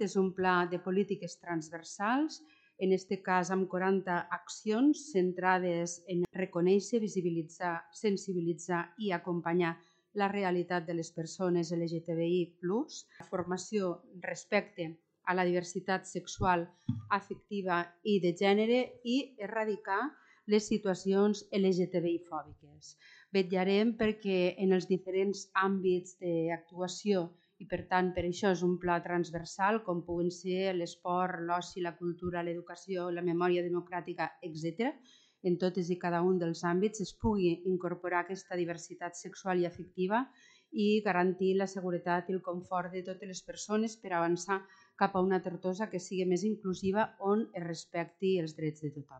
és un pla de polítiques transversals, en aquest cas amb 40 accions centrades en reconèixer, visibilitzar, sensibilitzar i acompanyar la realitat de les persones LGTBI+, formació respecte a la diversitat sexual, afectiva i de gènere i erradicar les situacions LGTBI-fòbiques. Vetllarem perquè en els diferents àmbits d'actuació i, per tant, per això és un pla transversal, com puguen ser l'esport, l'oci, la cultura, l'educació, la memòria democràtica, etc. En totes i cada un dels àmbits es pugui incorporar aquesta diversitat sexual i afectiva i garantir la seguretat i el confort de totes les persones per avançar cap a una Tortosa que sigui més inclusiva on es respecti els drets de tothom.